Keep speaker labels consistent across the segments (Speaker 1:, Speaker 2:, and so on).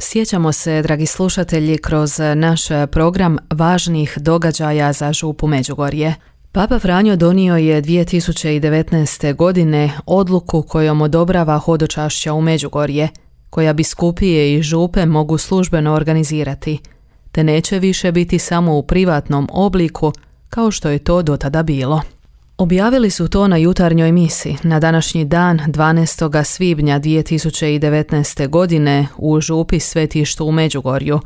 Speaker 1: Sjećamo se, dragi slušatelji, kroz naš program važnih događaja za župu Međugorje. Papa Franjo donio je 2019. godine odluku kojom odobrava hodočašća u Međugorje, koja biskupije i župe mogu službeno organizirati, te neće više biti samo u privatnom obliku kao što je to do tada bilo. Objavili su to na jutarnjoj misi na današnji dan 12. svibnja 2019. godine u župi Svetištu u Međugorju.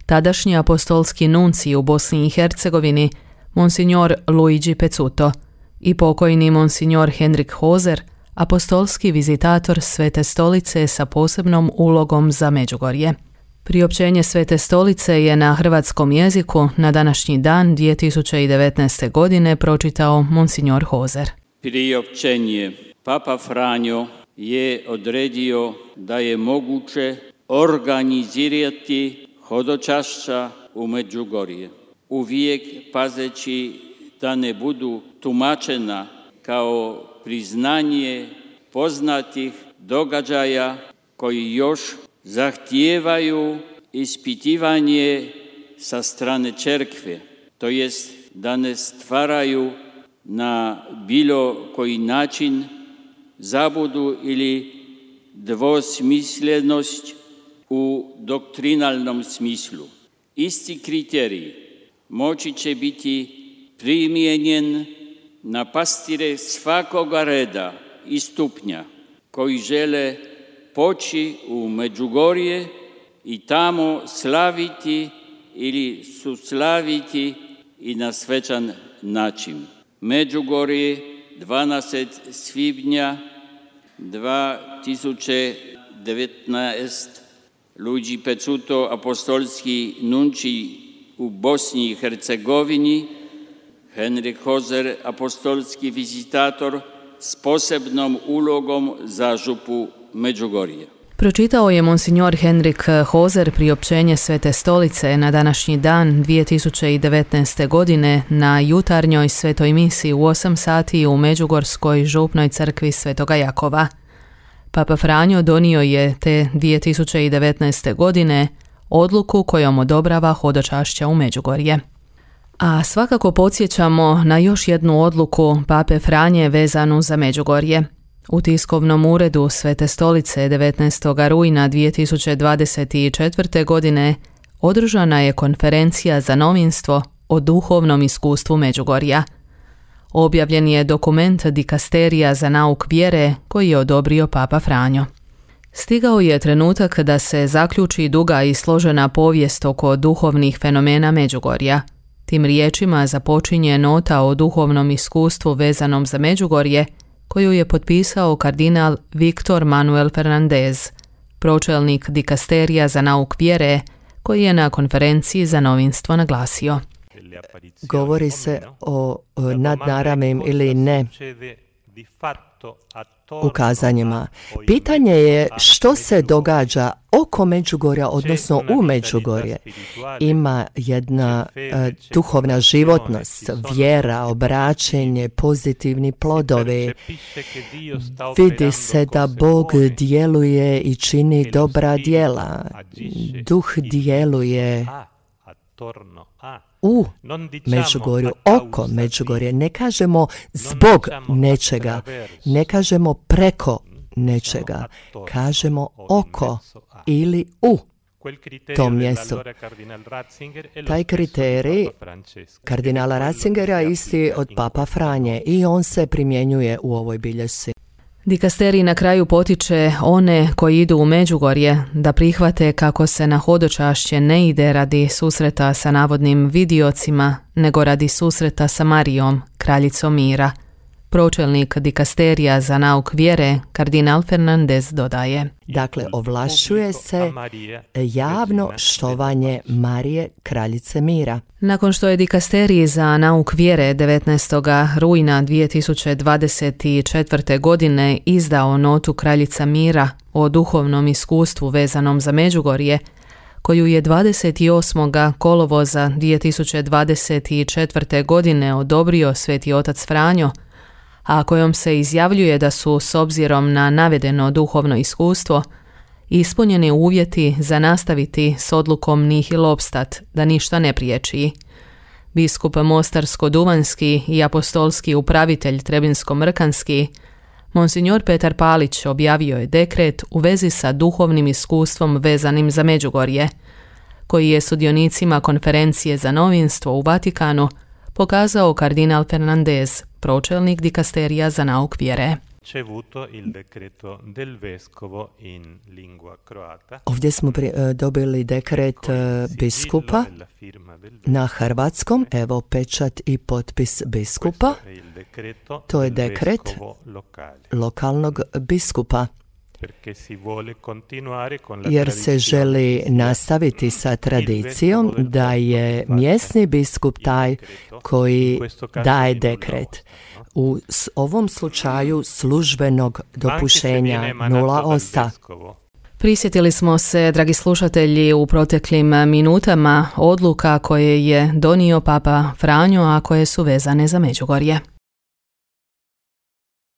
Speaker 1: Tadašnji apostolski nuncij u Bosni i Hercegovini, monsignor Luigi Pezzuto, i pokojni monsignor Henrik Hoser, apostolski vizitator Svete stolice sa posebnom ulogom za Međugorje. Priopćenje Svete stolice je na hrvatskom jeziku na današnji dan 2019. godine pročitao monsignor Hoser.
Speaker 2: Priopćenje. Papa Franjo je odredio da je moguće organizirati hodočašća u Međugorje, uvijek pazeći da ne budu tumačena kao priznanje poznatih događaja koji još zahtijevaju ispitivanje sa strane crkve, to jest da ne stvaraju na bilo koji način zabudu ili dvosmislenost u doktrinalnom smislu. Isti kriterij moći će biti primijenjen na pastire svakoga reda i stupnja koji žele poći u Međugorje i tamo slaviti ili suslaviti i na svečan način. Međugorje, 12. svibnja 2019. Luigi Pezzuto, apostolski nuncij u Bosni i Hercegovini, Henrik Hoser, apostolski vizitator s posebnom ulogom za župu Međugorje.
Speaker 1: Pročitao je monsignor Henrik Hoser priopćenje Svete stolice na današnji dan 2019. godine na jutarnjoj svetoj misi u 8 sati u Međugorskoj župnoj crkvi Svetoga Jakova. Papa Franjo donio je te 2019. godine odluku kojom odobrava hodočašća u Međugorje. A svakako podsjećamo na još jednu odluku Pape Franje vezanu za Međugorje. U tiskovnom uredu Svete stolice 19. rujna 2024. godine održana je konferencija za novinstvo o duhovnom iskustvu Međugorja. Objavljen je dokument Dikasterija za nauk vjere koji je odobrio Papa Franjo. Stigao je trenutak da se zaključi duga i složena povijest oko duhovnih fenomena Međugorja. Tim riječima započinje nota o duhovnom iskustvu vezanom za Međugorje, koju je potpisao kardinal Victor Manuel Fernandez, pročelnik Dikasterija za nauk vjere, koji je na konferenciji za novinstvo naglasio.
Speaker 3: Govori se o nadnaravnim ili ne ukazanjima. Pitanje je što se događa oko Međugorja, odnosno u Međugorje. Ima jedna duhovna životnost, vjera, obraćenje, pozitivni plodovi. Vidi se da Bog djeluje i čini dobra djela. Duh djeluje u Međugorju, oko Međugorje. Ne kažemo zbog nečega, ne kažemo preko nečega, kažemo oko ili u tom mjestu. Taj kriterij kardinala Ratzingera isti od Papa Franje i on se primjenjuje u ovoj bilješci.
Speaker 1: Dikasterij na kraju potiče one koji idu u Međugorje da prihvate kako se na hodočašće ne ide radi susreta sa navodnim vidiocima, nego radi susreta sa Marijom, kraljicom mira. Pročelnik Dikasterija za nauk vjere, kardinal Fernandez, dodaje.
Speaker 3: Dakle, ovlašćuje se javno štovanje Marije, kraljice mira.
Speaker 1: Nakon što je Dikasterij za nauk vjere 19. rujna 2024. godine izdao notu Kraljica mira o duhovnom iskustvu vezanom za Međugorje, koju je 28. kolovoza 2024. godine odobrio Sveti otac Franjo, a kojom se izjavljuje da su, s obzirom na navedeno duhovno iskustvo, ispunjeni uvjeti za nastaviti s odlukom nihil obstat, da ništa ne priječi. Biskup Mostarsko-Duvanjski i apostolski upravitelj Trebinsko-Mrkanski, Monsignor Petar Palić, objavio je dekret u vezi sa duhovnim iskustvom vezanim za Međugorje, koji je sudionicima konferencije za novinstvo u Vatikanu pokazao kardinal Fernandez, pročelnik dikasterija za nauk vjere.
Speaker 3: Ovdje smo dobili dekret biskupa na hrvatskom, evo pečat i potpis biskupa. To je dekret lokalnog biskupa, jer se želi nastaviti sa tradicijom da je mjesni biskup taj koji daje dekret. U ovom slučaju službenog dopuštenja, nula osta.
Speaker 1: Prisjetili smo se, dragi slušatelji, u proteklim minutama odluka koje je donio Papa Franjo, a koje su vezane za Međugorje.